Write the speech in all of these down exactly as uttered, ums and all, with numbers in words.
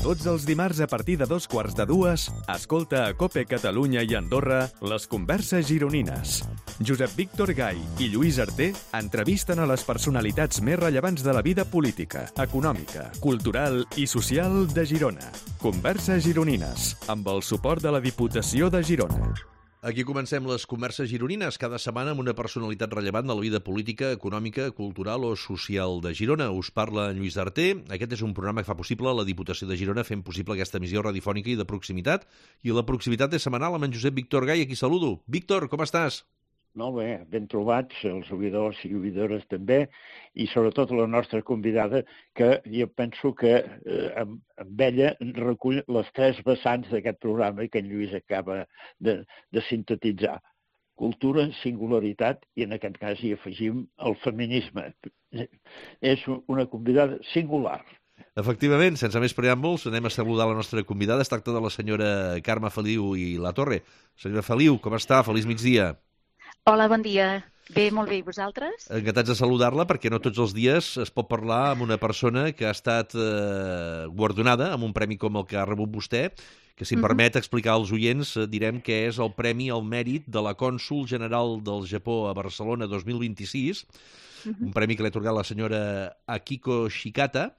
Tots els dimarts a partir de dos quarts de dues, escolta a COPE Catalunya i Andorra les converses gironines. Josep Víctor Gai i Lluís Arter entrevisten a les personalitats més rellevants de la vida política, econòmica, cultural i social de Girona. Converses gironines, amb el suport de la Diputació de Girona. Aquí comencem les converses gironines, cada setmana amb una personalitat rellevant de la vida política, econòmica, cultural o social de Girona. Us parla en Lluís Arter. Aquest és un programa que fa possible la Diputació de Girona fent possible aquesta emissió radiofònica i de proximitat. I la proximitat és setmanal amb en Josep Víctor Gai, a qui saludo. Víctor, com estàs? Molt bé, ben trobats, els oïdors i oïdores també, i sobretot la nostra convidada, que jo penso que eh, amb, amb ella recull les tres vessants d'aquest programa que en Lluís acaba de, de sintetitzar. Cultura, singularitat i en aquest cas hi afegim el feminisme. És una convidada singular. Efectivament, sense més preàmbuls, anem a saludar la nostra convidada. Es tracta de la senyora Carme Feliu i la Torre. Senyora Feliu, com està? Feliç migdia. Hola, bon dia. Bé, molt bé. I vosaltres? Encantats de saludar-la perquè no tots els dies es pot parlar amb una persona que ha estat eh, guardonada amb un premi com el que ha rebut vostè, que si em permet explicar als oients, eh, direm que és el Premi al Mèrit de la Cònsol General del Japó a Barcelona dos mil vint-i-sis, un premi que l'ha atorgat la senyora Akiko Shikata,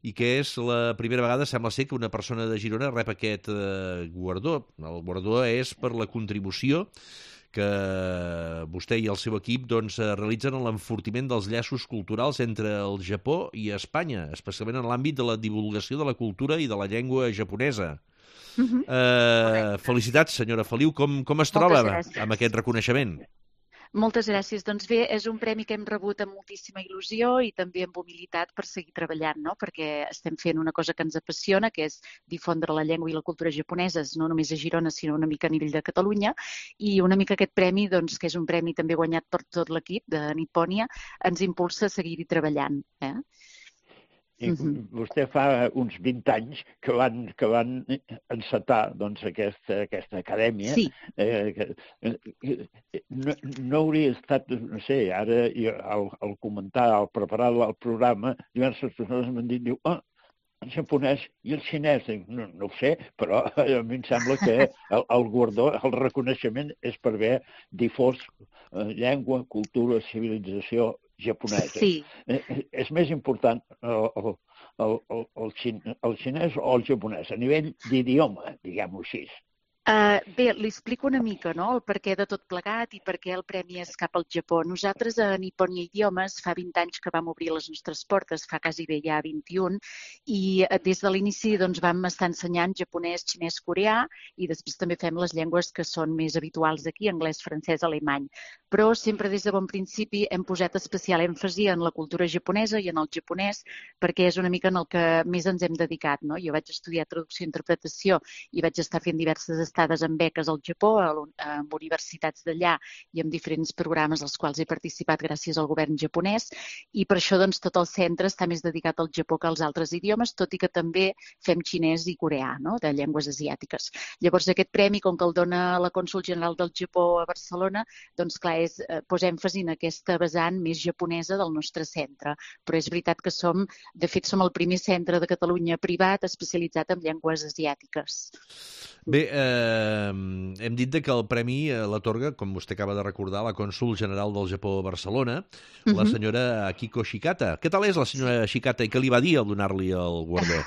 i que és la primera vegada, sembla ser, que una persona de Girona rep aquest eh, guardó. El guardó és per la contribució que vostè i el seu equip doncs, realitzen en l'enfortiment dels llaços culturals entre el Japó i Espanya, especialment en l'àmbit de la divulgació de la cultura i de la llengua japonesa. Uh-huh. eh, felicitats, senyora Feliu. Com, com es troba amb aquest reconeixement? Moltes gràcies. Doncs bé, és un premi que hem rebut amb moltíssima il·lusió i també amb humilitat per seguir treballant, no? Perquè estem fent una cosa que ens apassiona, que és difondre la llengua i la cultura japoneses, no només a Girona, sinó una mica a nivell de Catalunya. I una mica aquest premi, doncs, que és un premi també guanyat per tot l'equip de Nipponia, ens impulsa a seguir-hi treballant. Eh? I vostè fa uns vint anys que van, que van encetar doncs, aquesta, aquesta acadèmia. Sí. Eh, que, no, no hauria estat, no sé, ara al, al comentar, al preparar el programa, diverses persones m'han dit, diu, ah, el japonès i el xinès. No, no ho sé, però a mi em sembla que el, el guardó, el reconeixement és per haver difós eh, llengua, cultura, civilització japonesa. Sí. Eh, és més important el, el, el, el, el, xin, el xinès o el japonès, a nivell d'idioma, diguem-ho així. Uh, bé, li explico una mica, no?, el perquè de tot plegat i per què el premi és cap al Japó. Nosaltres a Nipponia Idiomes fa vint anys que vam obrir les nostres portes, fa quasi bé ja vint-i-un, i des de l'inici doncs, vam estar ensenyant japonès, xinès, coreà, i després també fem les llengües que són més habituals aquí, anglès, francès, alemany. Però sempre des de bon principi hem posat especial èmfasi en la cultura japonesa i en el japonès, perquè és una mica en el que més ens hem dedicat, no? Jo vaig estudiar traducció i interpretació i vaig estar fent diverses estades en beques al Japó, amb universitats d'allà i amb diferents programes als quals he participat gràcies al govern japonès, i per això doncs, tot el centre està més dedicat al Japó que als altres idiomes, tot i que també fem xinès i coreà, no?, de llengües asiàtiques. Llavors aquest premi, com que el dona la Cònsol General del Japó a Barcelona, doncs clar, és, eh, posa èmfasi en aquesta vessant més japonesa del nostre centre, però és veritat que som, de fet som el primer centre de Catalunya privat especialitzat en llengües asiàtiques. Bé, eh, hem dit que el premi l'atorga, com vostè acaba de recordar, la Cònsol General del Japó a Barcelona, uh-huh. la senyora Akiko Shikata. Què tal és la senyora Shikata i què li va dir al donar-li el guardó?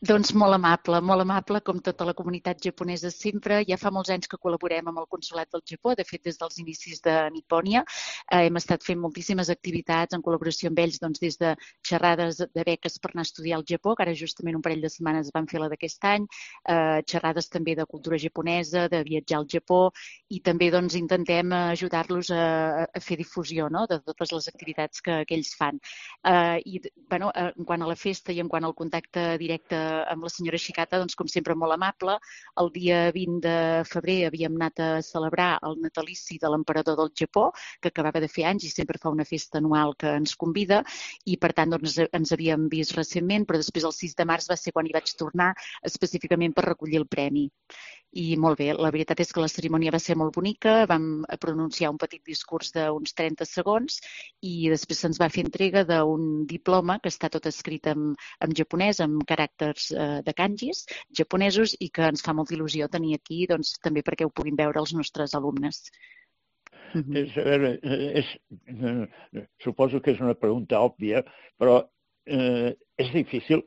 Doncs molt amable, molt amable, com tota la comunitat japonesa sempre. Ja fa molts anys que col·laborem amb el Consolat del Japó, de fet des dels inicis de Nipponia. Eh, hem estat fent moltíssimes activitats en col·laboració amb ells, doncs, des de xerrades de beques per anar a estudiar al Japó, que ara justament un parell de setmanes van fer la d'aquest any, eh, xerrades també de cultura japonesa, de viatjar al Japó, i també doncs, intentem ajudar-los a, a fer difusió, no?, de totes les activitats que, que ells fan. Eh, I bueno, en quant a la festa i en quant al contacte directe amb la senyora Shikata, doncs, com sempre, molt amable. El dia vint de febrer havíem anat a celebrar el natalici de l'emperador del Japó, que acabava de fer anys i sempre fa una festa anual que ens convida, i per tant doncs, ens havíem vist recentment, però després el sis de març va ser quan hi vaig tornar específicament per recollir el premi. I molt bé, la veritat és que la cerimònia va ser molt bonica, vam pronunciar un petit discurs d'uns trenta segons i després se'ns va fer entrega d'un diploma que està tot escrit en, en japonès, amb caràcters eh, de kanjis japonesos i que ens fa molta il·lusió tenir aquí, doncs, també perquè ho puguin veure els nostres alumnes. Mm-hmm. és, a veure, és, eh, suposo que és una pregunta òbvia, però eh, és difícil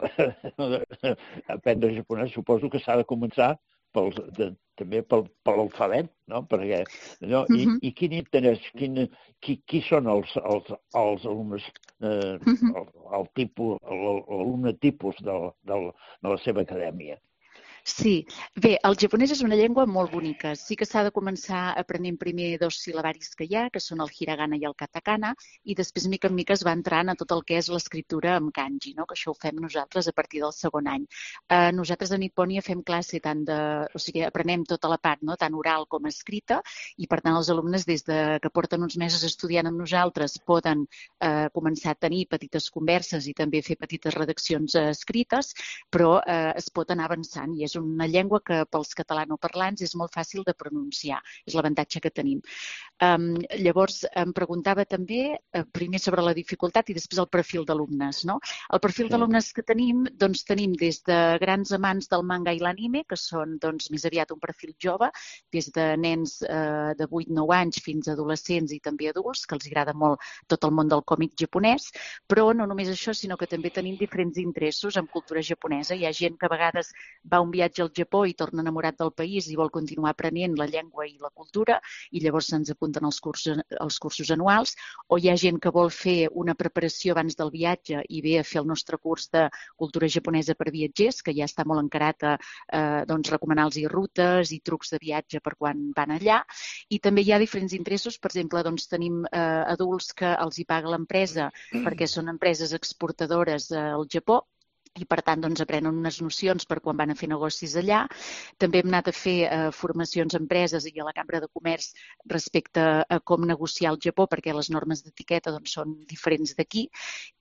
aprendre japonès. Suposo que s'ha de començar pel, de, també pel, per l'alfabet, no? Perquè, no? I, uh-huh. I quin interès, quin, qui, qui són els, els, els alumnes, eh, uh-huh. el, el tipus, l'alumne tipus de, de, de la seva acadèmia? Sí, bé, el japonès és una llengua molt bonica. Sí que s'ha de començar aprenent primer dos sil·labaris que hi ha, que són el hiragana i el katakana, i després, mica en mica, es va entrant a tot el que és l'escriptura amb kanji, no? Que això ho fem nosaltres a partir del segon any. Eh, nosaltres a Nipponia fem classe tant de... O sigui, aprenem tota la part, no? Tant oral com escrita, i per tant els alumnes, des de que porten uns mesos estudiant amb nosaltres, poden eh, començar a tenir petites converses i també fer petites redaccions eh, escrites, però eh, es pot anar avançant i és una llengua que pels catalanoparlants és molt fàcil de pronunciar. És l'avantatge que tenim. Um, llavors, em preguntava també eh, primer sobre la dificultat i després el perfil d'alumnes, no? El perfil d'alumnes que tenim, doncs tenim des de grans amants del manga i l'anime, que són doncs, més aviat un perfil jove, des de nens eh, de vuit nou anys fins a adolescents i també adults, que els agrada molt tot el món del còmic japonès, però no només això, sinó que també tenim diferents interessos en cultura japonesa. Hi ha gent que a vegades va a un viatge al Japó i torna enamorat del país i vol continuar aprenent la llengua i la cultura i llavors se'ns apunten als cursos, als cursos anuals, o hi ha gent que vol fer una preparació abans del viatge i ve a fer el nostre curs de cultura japonesa per viatgers, que ja està molt encarat a eh, doncs, recomanar-los rutes i trucs de viatge per quan van allà. I també hi ha diferents interessos. Per exemple, doncs, tenim eh, adults que els hi paga l'empresa perquè són empreses exportadores eh, al Japó, i per tant doncs, aprenen unes nocions per quan van a fer negocis allà. També hem anat a fer eh, formacions a empreses i a la Cambra de Comerç respecte a com negociar al Japó, perquè les normes d'etiqueta doncs, són diferents d'aquí.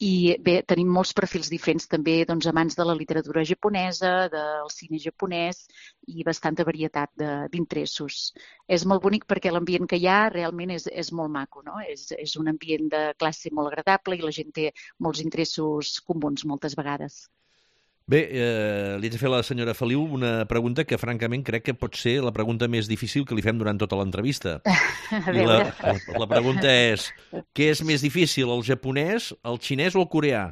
I bé, tenim molts perfils diferents, també doncs, amants de la literatura japonesa, del cine japonès i bastanta varietat d'interessos. És molt bonic perquè l'ambient que hi ha realment és, és molt maco, no? És, és un ambient de classe molt agradable i la gent té molts interessos comuns moltes vegades. Bé, eh, li haig de fer a la senyora Feliu una pregunta que, francament, crec que pot ser la pregunta més difícil que li fem durant tota l'entrevista. I la, la, la pregunta és, què és més difícil, el japonès, el xinès o el coreà?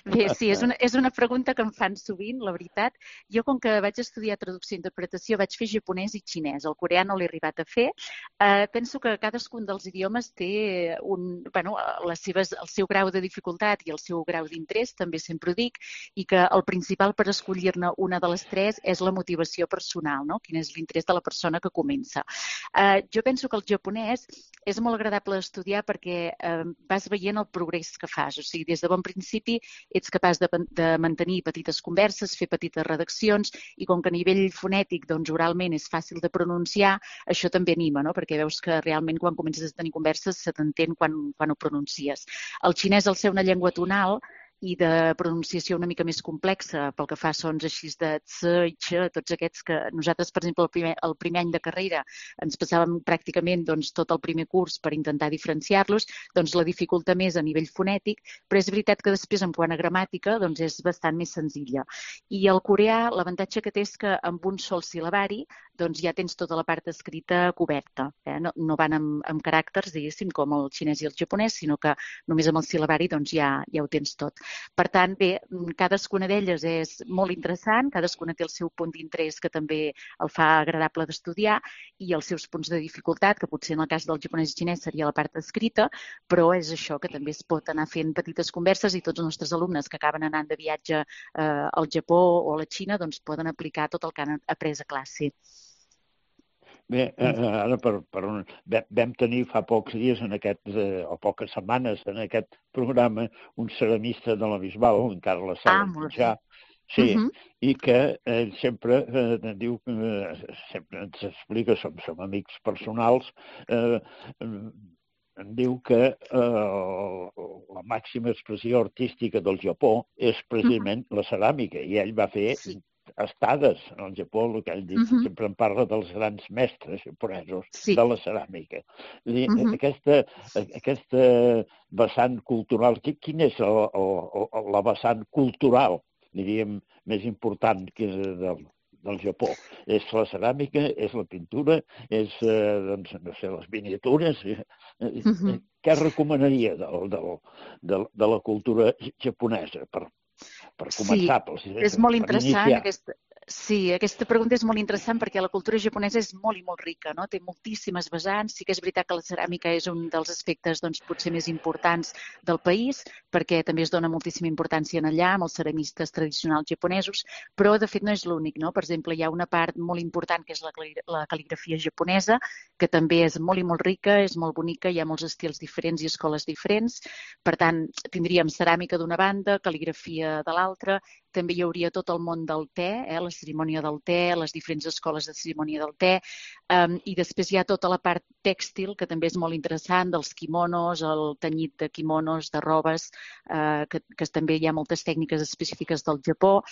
Bé, sí, és una, és una pregunta que em fan sovint, la veritat. Jo, com que vaig estudiar traducció i interpretació, vaig fer japonès i xinès. El coreà no l'he arribat a fer. Eh, penso que cadascun dels idiomes té un, bueno, les seves, el seu grau de dificultat i el seu grau d'interès, també sempre ho dic, i que el principal per escollir-ne una de les tres és la motivació personal, no? Quin és l'interès de la persona que comença. Eh, jo penso que el japonès és molt agradable d'estudiar perquè eh, vas veient el progrés que fas. O sigui, des de bon principi ets capaç de, de mantenir petites converses, fer petites redaccions i com que a nivell fonètic, doncs oralment és fàcil de pronunciar, això també anima, no? Perquè veus que realment quan comences a tenir converses se t'entén quan, quan ho pronuncies. El xinès, al ser una llengua tonal i de pronunciació una mica més complexa pel que fa a sons així de tse i che, tots aquests que nosaltres, per exemple, el primer, el primer any de carrera ens passàvem pràcticament doncs, tot el primer curs per intentar diferenciar-los, doncs la dificulta més a nivell fonètic, però és veritat que després en quant a gramàtica doncs és bastant més senzilla. I el coreà, l'avantatge que té és que amb un sol sil·labari doncs ja tens tota la part escrita coberta. Eh? No, no van amb, amb caràcters, diguéssim, com el xinès i el japonès, sinó que només amb el sil·labari doncs, ja, ja ho tens tot. Per tant, bé, cadascuna d'elles és molt interessant, cadascuna té el seu punt d'interès que també el fa agradable d'estudiar i els seus punts de dificultat, que potser en el cas del japonès i xinès seria la part escrita, però és això, que també es pot anar fent petites converses i tots els nostres alumnes que acaben anant de viatge eh, al Japó o a la Xina doncs poden aplicar tot el que han après a classe. Bé, ara per, per un, vam tenir fa pocs dies en aquest, eh, o poques setmanes en aquest programa un ceramista de la Bisbal, en Carles Sala ja, sí, uh-huh. I que ell sempre eh, diu, eh, sempre ens explica, som, som amics personals, eh, em diu que eh, la màxima expressió artística del Japó és precisament uh-huh. la ceràmica, i ell va fer... Sí. estades al Japó, el que ell diu, Mhm. sempre en parla dels grans mestres japonesos Sí. de la ceràmica. És a dir, Mhm. aquesta, aquesta vessant cultural, qui- quina és el, el, el, la vessant cultural, diríem, més important que del, del Japó? És la ceràmica, és la pintura, és, eh, doncs, no sé, les miniatures? Eh, eh, Mhm. Què recomanaria del, del, del, de la cultura japonesa per, per Sí, començar, per, és molt per interessant iniciar? aquesta... Sí, aquesta pregunta és molt interessant perquè la cultura japonesa és molt i molt rica, no? Té moltíssimes vessants. Sí que és veritat que la ceràmica és un dels aspectes, doncs, potser més importants del país, perquè també es dona moltíssima importància en allà, amb els ceramistes tradicionals japonesos, però, de fet, no és l'únic, no? Per exemple, hi ha una part molt important que és la, cali- la cal·ligrafia japonesa, que també és molt i molt rica, és molt bonica, hi ha molts estils diferents i escoles diferents. Per tant, tindríem ceràmica d'una banda, cal·ligrafia de l'altra, també hi hauria tot el món del te, eh, la cerimònia del te, les diferents escoles de cerimònia del te, um, i després hi ha tota la part tèxtil, que també és molt interessant, dels quimonos, el tenyit de quimonos, de robes, uh, que, que també hi ha moltes tècniques específiques del Japó,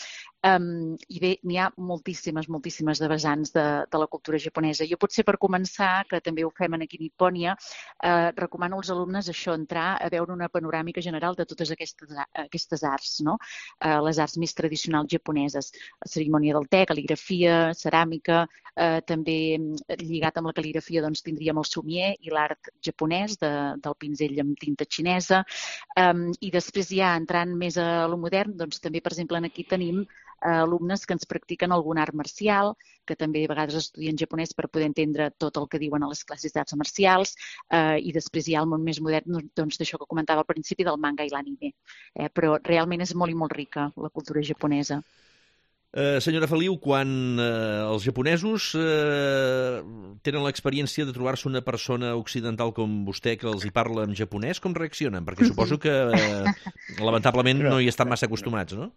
um, i bé, n'hi ha moltíssimes, moltíssimes de vessants de, de la cultura japonesa. Jo potser per començar, que també ho fem aquí a Nipònia, uh, recomano als alumnes això, entrar a veure una panoràmica general de totes aquestes, aquestes arts, no? Uh, les arts més tradicionals japoneses, la cerimònia del te, cal·ligrafia, ceràmica, eh, també lligat amb la cal·ligrafia doncs, tindríem el sumier i l'art japonès de, del pinzell amb tinta xinesa, um, i després ja entrant més a lo modern, doncs també, per exemple, aquí tenim eh, alumnes que ens practiquen algun art marcial, que també a vegades estudien japonès per poder entendre tot el que diuen a les classes d'arts marcials, eh, i després hi ha el món més modern, doncs d'això que comentava al principi del manga i l'anime. Eh, però realment és molt i molt rica la cultura japonesa. Eh, senyora Feliu, quan eh, els japonesos eh, tenen l'experiència de trobar-se una persona occidental com vostè que els hi parla en japonès, com reaccionen? Perquè suposo que eh, lamentablement no hi estan massa acostumats, no?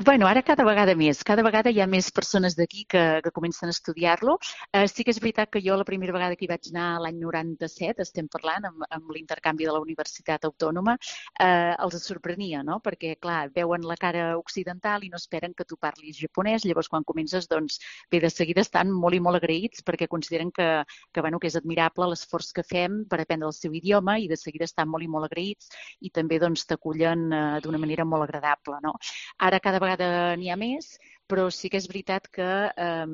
Bueno, ara cada vegada més. Cada vegada hi ha més persones d'aquí que, que comencen a estudiar-lo. Eh, sí que és veritat que jo la primera vegada que hi vaig anar l'any noranta-set, estem parlant, amb, amb l'intercanvi de la Universitat Autònoma, eh, els sorprenia, no? Perquè, clar, veuen la cara occidental i no esperen que tu parlis japonès. Llavors, quan comences, doncs, bé, de seguida estan molt i molt agraïts perquè consideren que, que, bueno, que és admirable l'esforç que fem per aprendre el seu idioma i de seguida estan molt i molt agraïts i també doncs, t'acullen eh, d'una manera molt agradable, no? Ara cada vegada n'hi ha més, però sí que és veritat que eh,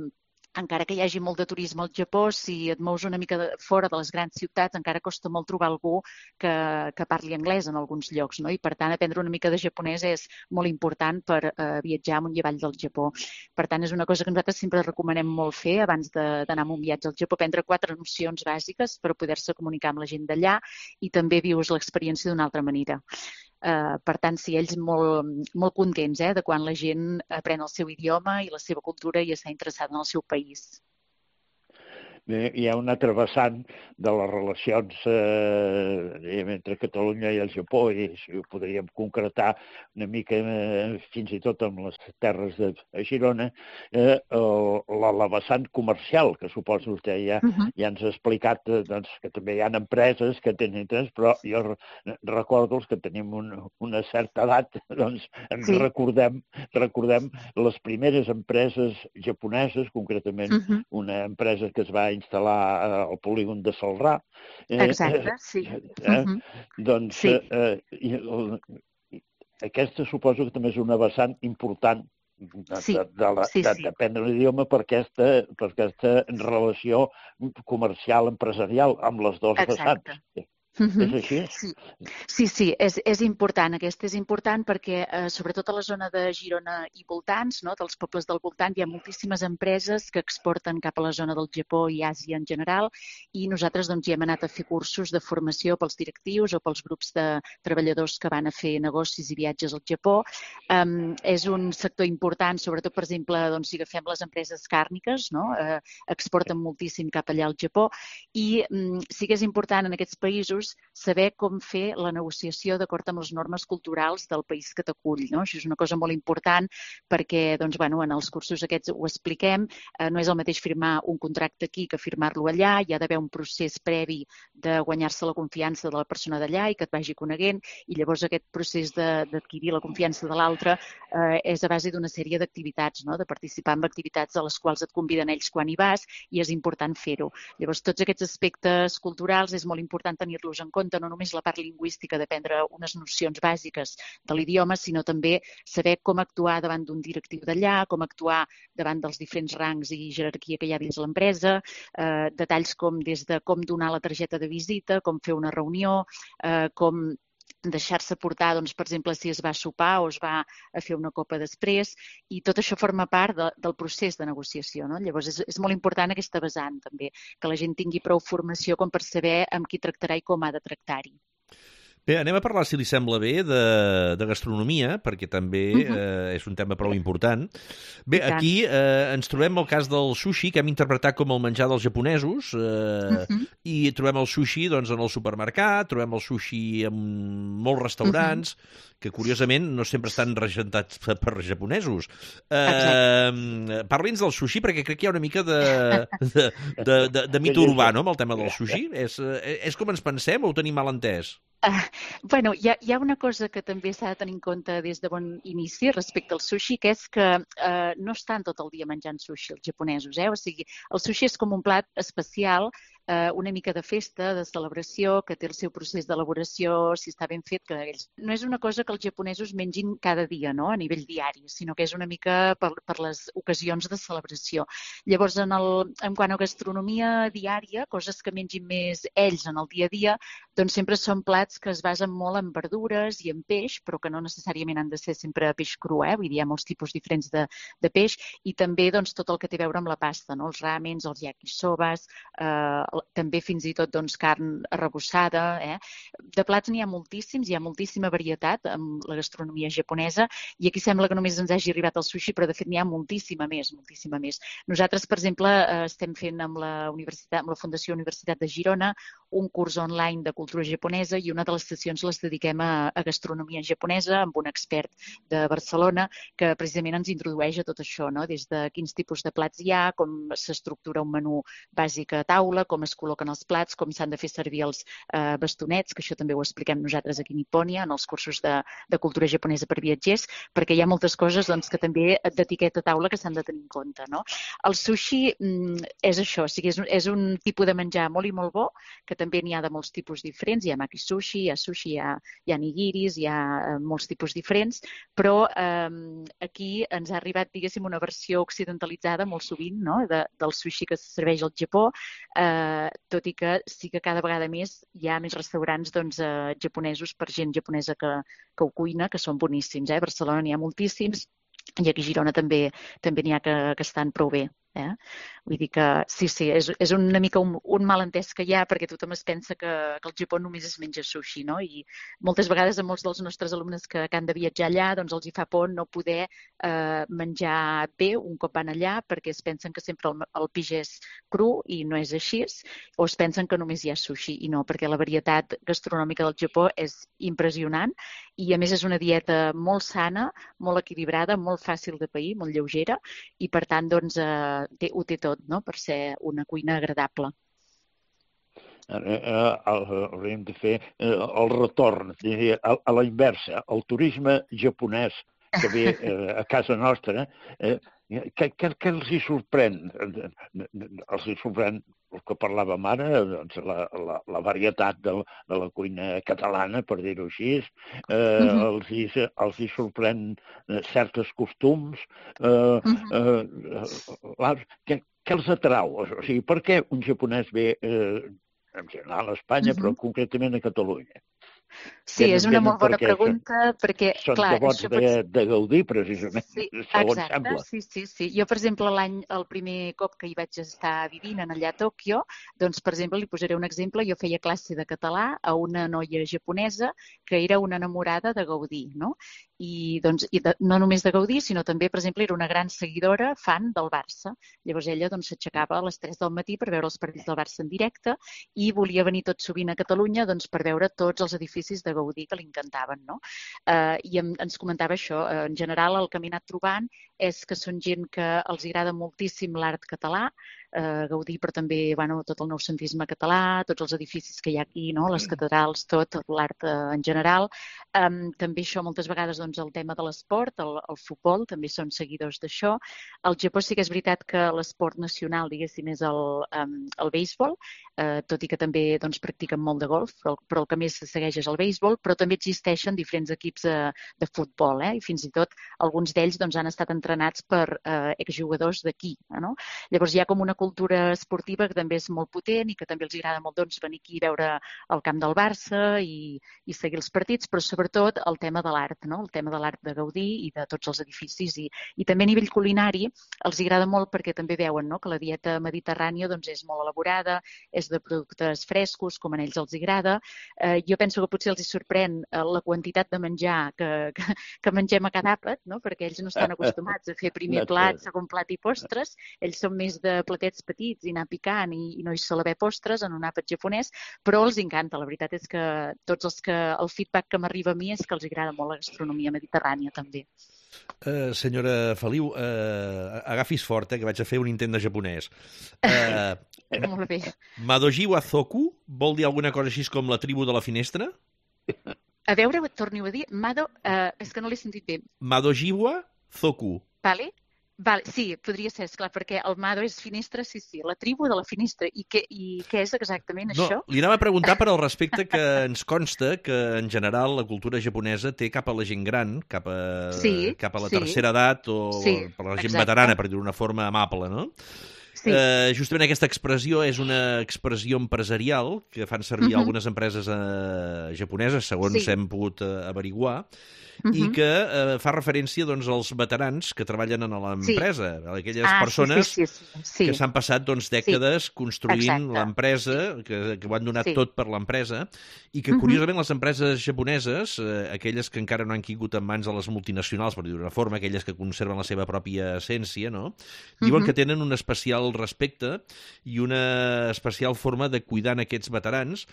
encara que hi hagi molt de turisme al Japó, si et mous una mica de, fora de les grans ciutats, encara costa molt trobar algú que, que parli anglès en alguns llocs, no? I per tant aprendre una mica de japonès és molt important per eh, viatjar amunt i avall del Japó. Per tant, és una cosa que nosaltres sempre recomanem molt fer abans d'anar a un viatge al Japó, aprendre quatre nocions bàsiques per poder-se comunicar amb la gent d'allà i també vius l'experiència d'una altra manera. Uh, per tant, sí, ells molt, molt contents eh, de quan la gent aprèn el seu idioma i la seva cultura i està interessada en el seu país. Bé, hi ha un altre vessant de les relacions eh, entre Catalunya i el Japó, i si ho podríem concretar una mica eh, fins i tot amb les terres de Girona, eh, la, la vessant comercial, que suposo vostè ja, uh-huh. ja ens ha explicat eh, doncs, que també hi ha empreses que tenen interès, però jo recordo els que tenim un, una certa edat, doncs ens sí. recordem, recordem les primeres empreses japoneses, concretament uh-huh. una empresa que es va instal·lar al polígon de Celrà. Eh, Exacte, sí. Eh, uh-huh. Doncs sí. eh, eh, aquesta suposo que també és una vessant important de, sí. de, de, la, sí, de, sí. d'aprendre l'idioma per aquesta, per aquesta relació comercial, empresarial amb les dues Exacte. vessants. Uh-huh. És així? Sí, sí, sí és, és important. Aquesta és important perquè, eh, sobretot a la zona de Girona i voltants, no, dels pobles del voltant, hi ha moltíssimes empreses que exporten cap a la zona del Japó i Àsia en general, i nosaltres doncs, hi hem anat a fer cursos de formació pels directius o pels grups de treballadors que van a fer negocis i viatges al Japó. Um, és un sector important, sobretot, per exemple, doncs, si agafem les empreses càrniques, no, eh, exporten moltíssim cap allà al Japó, i um, sí que és important en aquests països llavors saber com fer la negociació d'acord amb les normes culturals del país que t'acull, no? Això és una cosa molt important perquè, doncs, bueno, en els cursos aquests ho expliquem, eh, no és el mateix firmar un contracte aquí que firmar-lo allà, hi ha d'haver un procés previ de guanyar-se la confiança de la persona d'allà i que et vagi coneguent, i llavors aquest procés d'adquirir la confiança de l'altre eh, és a base d'una sèrie d'activitats, no? De participar en activitats a les quals et conviden ells quan hi vas, i és important fer-ho. Llavors, tots aquests aspectes culturals és molt important tenir-los en compte, no només la part lingüística d'aprendre unes nocions bàsiques de l'idioma, sinó també saber com actuar davant d'un directiu d'allà, com actuar davant dels diferents rangs i jerarquia que hi ha dins l'empresa, eh, detalls com des de com donar la targeta de visita, com fer una reunió, eh, com deixar-se portar, doncs, per exemple, si es va a sopar o es va a fer una copa després, i tot això forma part de, del procés de negociació, no? Llavors, és, és molt important aquesta vessant, també, que la gent tingui prou formació com per saber amb qui tractarà i com ha de tractar-hi. Bé, anem a parlar, si li sembla bé, de, de gastronomia, perquè també uh-huh. eh, és un tema prou important. Bé, aquí eh, ens trobem el cas del sushi, que hem interpretat com el menjar dels japonesos, eh, uh-huh. i trobem el sushi, doncs, en el supermercat, trobem el sushi en molts restaurants, uh-huh. que curiosament no sempre estan regentats per japonesos. Eh, Parli'ns del sushi, perquè crec que hi ha una mica de, de, de, de, de mite urbà, no?, amb el tema del sushi. És, és com ens pensem o ho tenim mal entès? Uh, bueno, hi ha, hi ha una cosa que també s'ha de tenir en compte des de bon inici respecte al sushi, que és que uh, no estan tot el dia menjant sushi els japonesos, eh? O sigui, el sushi és com un plat especial, uh, una mica de festa, de celebració, que té el seu procés d'elaboració, si està ben fet, que ells... No és una cosa que els japonesos mengin cada dia, no?, a nivell diari, sinó que és una mica per, per les ocasions de celebració. Llavors, en, el, en quant a gastronomia diària, coses que mengin més ells en el dia a dia, doncs sempre són plats que es basen molt en verdures i en peix, però que no necessàriament han de ser sempre peix cru, eh? Vull dir, hi ha molts tipus diferents de, de peix, i també, doncs, tot el que té a veure amb la pasta, no? Els ramens, els yakisobas, eh, també fins i tot, doncs, carn arrebossada, eh? De plats n'hi ha moltíssims, hi ha moltíssima varietat amb la gastronomia japonesa, i aquí sembla que només ens hagi arribat el sushi, però de fet n'hi ha moltíssima més, moltíssima més. Nosaltres, per exemple, eh, estem fent amb la, universitat, amb la Fundació Universitat de Girona un curs online de cultura japonesa, i una de les sessions les dediquem a, a gastronomia japonesa amb un expert de Barcelona que precisament ens introdueix a tot això, no? Des de quins tipus de plats hi ha, com s'estructura un menú bàsic a taula, com es col·loquen els plats, com s'han de fer servir els eh, bastonets, que això també ho expliquem nosaltres aquí a Nipònia, en els cursos de, de cultura japonesa per viatgers, perquè hi ha moltes coses, doncs, que també d'etiqueta a taula que s'han de tenir en compte, no? El sushi mm, és això, o sigui, és, és un tipus de menjar molt i molt bo, que també n'hi ha de molts tipus diferents, hi ha maki sushi, hi ha sushi, hi ha, hi ha nigiris, hi ha eh, molts tipus diferents, però eh, aquí ens ha arribat, diguéssim, una versió occidentalitzada molt sovint, no?, de, del sushi que se serveix al Japó, eh, tot i que sí que cada vegada més hi ha més restaurants, doncs, eh, japonesos per gent japonesa que, que ho cuina, que són boníssims, eh? A Barcelona n'hi ha moltíssims, i aquí a Girona també també n'hi ha que, que estan prou bé. Eh? Vull dir que sí, sí, és, és una mica un, un malentès que hi ha, perquè tothom es pensa que, que al Japó només es menja sushi, no? I moltes vegades a molts dels nostres alumnes que, que han de viatjar allà, doncs els hi fa por no poder eh, menjar bé un cop van allà, perquè es pensen que sempre el, el peix és cru, i no és així, o es pensen que només hi ha sushi, i no, perquè la varietat gastronòmica del Japó és impressionant, i a més és una dieta molt sana, molt equilibrada, molt fàcil de pair, molt lleugera, i per tant, doncs, eh, Té, ho té tot, no?, per ser una cuina agradable. Hauríem de fer el retorn, a, a la inversa, el turisme japonès que ve a casa nostra, què, què, què els hi sorprèn? Els hi sorprèn el que parlàvem ara, doncs, la, la, la varietat de, de la cuina catalana, per dir-ho així, eh, uh-huh. els, hi, els hi sorprèn certs costums, eh, uh-huh. eh, què, què els atrau? O sigui, per què un japonès ve, eh, en general a Espanya, uh-huh. però concretament a Catalunya? Sí, és una molt bona perquè pregunta, perquè, són clar, devots això de, pot... de gaudir, precisament, Sí, segons exacte, sembla. sí, sí, sí. Jo, per exemple, l'any, el primer cop que hi vaig estar vivint en allà a Tòquio, doncs, per exemple, li posaré un exemple, jo feia classe de català a una noia japonesa que era una enamorada de Gaudí, no? I, doncs, i de, no només de Gaudí, sinó també, per exemple, era una gran seguidora, fan del Barça. Llavors ella doncs, s'aixecava a les tres del matí per veure els partits del Barça en directe i volia venir tot sovint a Catalunya doncs, per veure tots els edificis de Gaudí que li encantaven, no? Eh, I em, ens comentava això, eh, en general el que m'he anat trobant és que són gent que els agrada moltíssim l'art català, eh, Gaudí, però també bueno, tot el noucentisme català, tots els edificis que hi ha aquí, no? Les catedrals, tot, l'art eh, en general. Um, també això moltes vegades doncs, el tema de l'esport, el, el futbol, també són seguidors d'això. Al Japó sí que és veritat que l'esport nacional, diguéssim, és el, um, el béisbol, eh, tot i que també doncs, practiquen molt de golf, però, però el que més se segueix és el béisbol, però també existeixen diferents equips de, de futbol, eh? I fins i tot alguns d'ells doncs, han estat entrenats per eh, exjugadors d'aquí. Eh, no? Llavors hi ha com una cultura esportiva que també és molt potent i que també els agrada molt doncs, venir aquí a veure el camp del Barça i, i seguir els partits, però sobretot el tema de l'art, no? El tema de l'art de Gaudí i de tots els edificis. I, i també a nivell culinari els agrada molt perquè també veuen no? Que la dieta mediterrània doncs, és molt elaborada, és de productes frescos, com a ells els agrada. Eh, jo penso que potser els hi sorprèn eh, la quantitat de menjar que, que, que mengem a cada àpat, no? Perquè ells no estan acostumats a fer primer plat, segon plat i postres. Ells són més de platets petits i anar picant i, i no hi sol haver postres en un àpat japonès, però els encanta. La veritat és que tots els que el feedback que m'arriba a mi és que els agrada molt la gastronomia mediterrània també. Uh, senyora Feliu, uh, agafis fort, eh, que vaig a fer un intent de japonès. Uh, Molt bé. Madoji wa Zoku vol dir alguna cosa així com la tribu de la finestra? A veure, torni-ho a dir. Mado, uh, és que no l'he sentit bé. Madoji wa Zoku. Vale. Vale, sí, podria ser, esclar, perquè el Mado és finestra, sí, sí, la tribu de la finestra. I què, i què és exactament no, això? Li anava a preguntar per al respecte que ens consta que, en general, la cultura japonesa té cap a la gent gran, cap a, sí, cap a la sí. tercera edat o sí, per la gent exacte. veterana, per dir-ho d'una forma amable, no? Sí. Eh, justament aquesta expressió és una expressió empresarial que fan servir uh-huh. algunes empreses eh, japoneses, segons sí. hem pogut eh, averiguar, uh-huh. i que eh, fa referència doncs, als veterans que treballen en l'empresa, sí. aquelles ah, persones sí, sí, sí, sí. que s'han passat doncs, dècades sí. construint Exacte. l'empresa, que, que ho han donat sí. tot per l'empresa, i que, uh-huh. curiosament, les empreses japoneses, eh, aquelles que encara no han caigut en mans de les multinacionals, per dir-ho d'una forma, aquelles que conserven la seva pròpia essència, no? Diuen uh-huh. que tenen un especial respecte i una especial forma de cuidar en aquests veterans.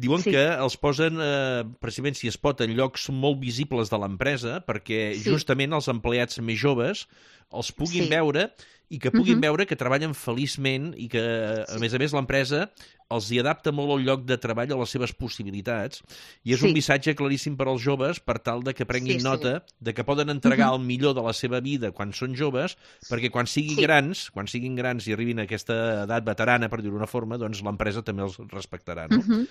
Diuen sí. que els posen, eh, precisament, si es pot, en llocs molt visibles de l'empresa, perquè sí. justament els empleats més joves els puguin sí. veure i que puguin uh-huh. veure que treballen feliçment i que, a sí. més a més, l'empresa els hi adapta molt el lloc de treball a les seves possibilitats i és sí. un missatge claríssim per als joves per tal de que prenguin sí, nota sí. de que poden entregar uh-huh. el millor de la seva vida quan són joves, perquè quan siguin sí. grans, quan siguin grans i arribin a aquesta edat veterana, per dir-ho d'una forma, doncs l'empresa també els respectarà, no? Uh-huh.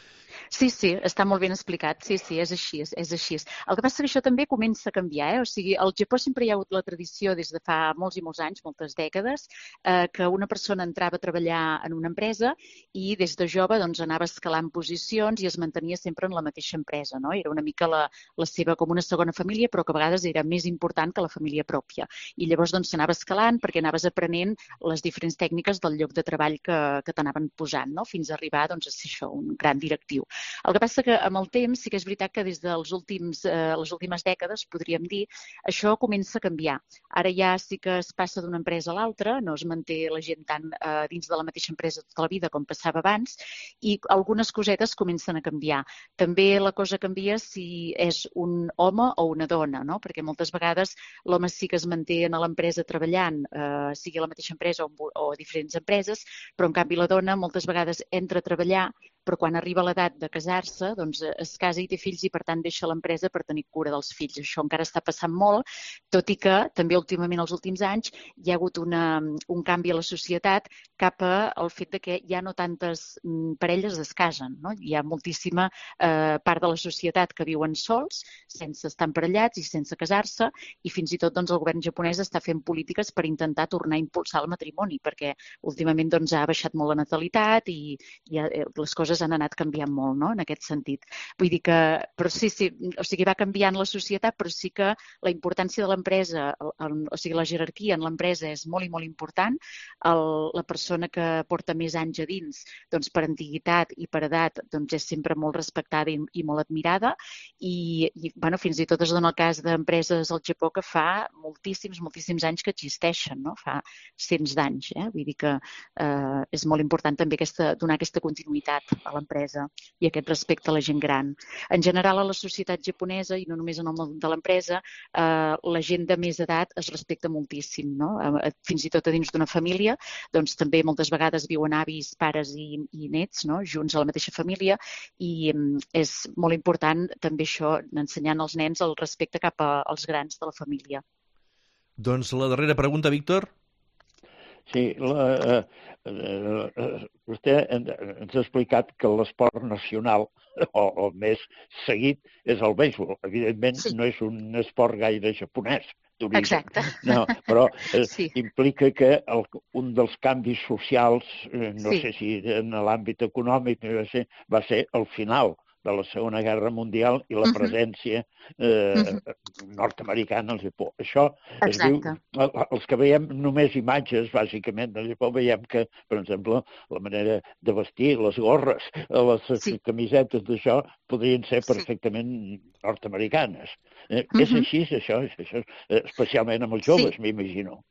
Sí, sí, està molt ben explicat. Sí, sí, és així, és, és així. El que passa que això també comença a canviar, eh? O sigui, al Japó sempre hi ha hagut la tradició des de fa molts i molts anys, moltes dècades, eh, que una persona entrava a treballar en una empresa i des de jove doncs, anava escalant posicions i es mantenia sempre en la mateixa empresa, no? Era una mica la, la seva com una segona família, però que a vegades era més important que la família pròpia. I llavors doncs, s'anava escalant perquè anaves aprenent les diferents tècniques del lloc de treball que, que t'anaven posant, no? Fins a arribar doncs, a ser això, un gran directiu. El que passa que amb el temps sí que és veritat que des dels últims, eh, les últimes dècades, podríem dir, això comença a canviar. Ara ja sí que es passa d'una empresa a l'altra, no es manté la gent tant eh, dins de la mateixa empresa tota la vida com passava abans, i algunes cosetes comencen a canviar. També la cosa canvia si és un home o una dona, no? Perquè moltes vegades l'home sí que es manté a l'empresa treballant, eh, sigui a la mateixa empresa o, o a diferents empreses, però en canvi la dona moltes vegades entra a treballar, però quan arriba l'edat de casar-se, doncs es casa i té fills i per tant deixa l'empresa per tenir cura dels fills. Això encara està passant molt, tot i que també últimament, els últims anys, hi ha hagut una, un canvi a la societat cap al fet de que ja no tantes parelles es casen, no? Hi ha moltíssima eh, part de la societat que viuen sols, sense estar emparellats i sense casar-se, i fins i tot doncs, el govern japonès està fent polítiques per intentar tornar a impulsar el matrimoni, perquè últimament doncs, ha baixat molt la natalitat i, i les coses coses han anat canviant molt, no?, en aquest sentit. Vull dir que, però sí, sí, o sigui, va canviant la societat, però sí que la importància de l'empresa, o sigui, la jerarquia en l'empresa és molt i molt important. El, la persona que porta més anys a dins, doncs per antiguitat i per edat, doncs és sempre molt respectada i, i molt admirada. I, i bueno, fins i tot es dona el cas d'empreses al Japó que fa moltíssims, moltíssims anys que existeixen, no? Fa cents d'anys, eh? Vull dir que eh, és molt important també aquesta, donar aquesta continuïtat a l'empresa i aquest respecte a la gent gran. En general, a la societat japonesa, i no només en el món de l'empresa, eh, la gent de més edat es respecta moltíssim, no? Eh, fins i tot a dins d'una família, doncs també moltes vegades viuen avis, pares i, i nets, no?, junts a la mateixa família, i eh, és molt important també això, ensenyant als nens el respecte cap als grans de la família. Doncs la darrera pregunta, Víctor. Sí, la, eh, eh, vostè ens ha explicat que l'esport nacional o el més seguit és el béisbol. Evidentment, sí. No és un esport gaire japonès. Exacte. No, però eh, sí. implica que el, un dels canvis socials, eh, no sí. sé si en l'àmbit econòmic, va ser, va ser el final de la Segona Guerra Mundial i la presència eh, uh-huh. nord-americana al Japó. Això es diu, els que veiem només imatges, bàsicament, del Japó, veiem que, per exemple, la manera de vestir, les gorres, les sí. camisetes d'això, podrien ser perfectament sí. nord-americanes. Eh, uh-huh. És així, això, és això, especialment amb els joves, sí. m'imagino.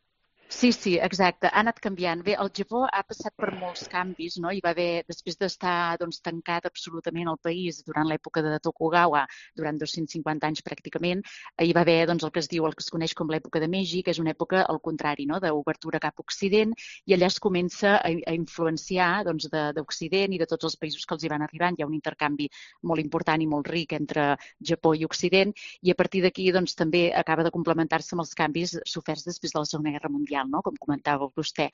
Sí, sí, exacte. Ha anat canviant. Bé, el Japó ha passat per molts canvis, no? Hi va haver, després d'estar doncs, tancat absolutament el país durant l'època de Tokugawa, durant dos-cents cinquanta anys pràcticament, hi va haver doncs, el que es diu, el que es coneix com l'època de Meiji, que és una època al contrari, no?, d'obertura cap a Occident, i allà es comença a, a influenciar doncs, d'Occident i de tots els països que els hi van arribant. Hi ha un intercanvi molt important i molt ric entre Japó i Occident, i a partir d'aquí doncs, també acaba de complementar-se amb els canvis soferts després de la Segona Guerra Mundial, no?, com comentava vostè.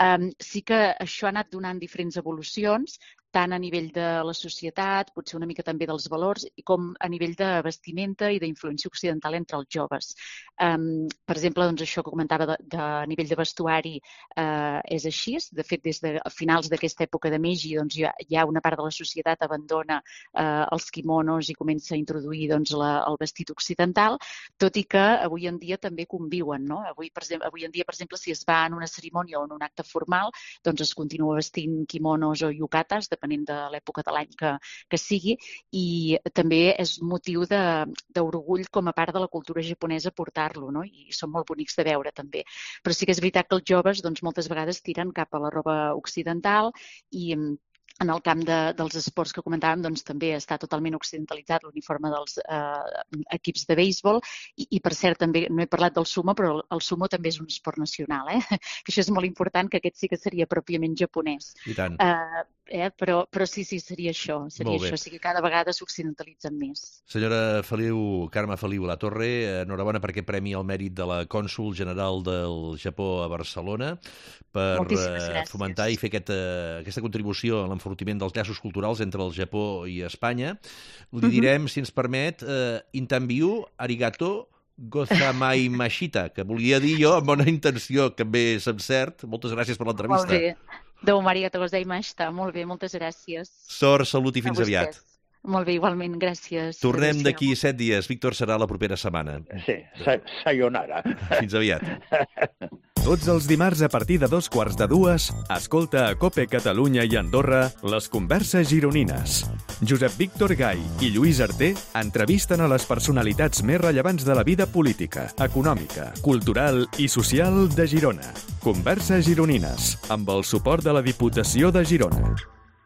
Um, sí que això ha anat donant diferents evolucions, tant a nivell de la societat, potser una mica també dels valors, com a nivell de vestimenta i d'influència occidental entre els joves. Um, per exemple, doncs això que comentava de, de nivell de vestuari uh, és així. De fet, des de finals d'aquesta època de Meiji, doncs, hi ha, hi ha una part de la societat abandona uh, els kimonos i comença a introduir doncs, la, el vestit occidental, tot i que avui en dia també conviuen, no? Avui, per exemple, avui en dia, per exemple, si es va en una cerimònia o en un acte formal, doncs es continua vestint kimonos o yukatas, depenent de l'època de l'any que, que sigui, i també és motiu d'orgull com a part de la cultura japonesa portar-lo, no? I són molt bonics de veure també. Però sí que és veritat que els joves doncs, moltes vegades tiren cap a la roba occidental i en el camp de, dels esports que comentàvem, doncs, també està totalment occidentalitzat l'uniforme dels eh, equips de béisbol i, i, per cert, també no he parlat del sumo, però el, el sumo també és un esport nacional, eh? Que això és molt important, que aquest sí que seria pròpiament japonès. I tant. Eh, eh? Però, però sí, sí, seria això, seria això, o sigui, cada vegada s'occidentalitzen més. Senyora Feliu, Carme Feliu Latorre, enhorabona per aquest premi al mèrit de la cònsol general del Japó a Barcelona, per eh, fomentar i fer aquest, eh, aquesta contribució a l'enfortiment dels llaços culturals entre el Japó i Espanya. Li direm, uh-huh. si ens permet, eh, Intanbiu, arigato, gozamai mashita, que volia dir jo amb bona intenció, que bé se'm cert. Moltes gràcies per l'entrevista. Molt bé. Domo arigato gozaimashita. Molt bé, moltes gràcies. Sort, salut i fins aviat. Molt bé, igualment, gràcies. Tornem d'aquí set dies. Víctor, serà la propera setmana. Sí, sa sayonara. Fins aviat. Tots els dimarts a partir de dos quarts de dues, escolta a COPE Catalunya i Andorra les converses gironines. Josep Víctor Gai i Lluís Arter entrevisten a les personalitats més rellevants de la vida política, econòmica, cultural i social de Girona. Converses gironines, amb el suport de la Diputació de Girona.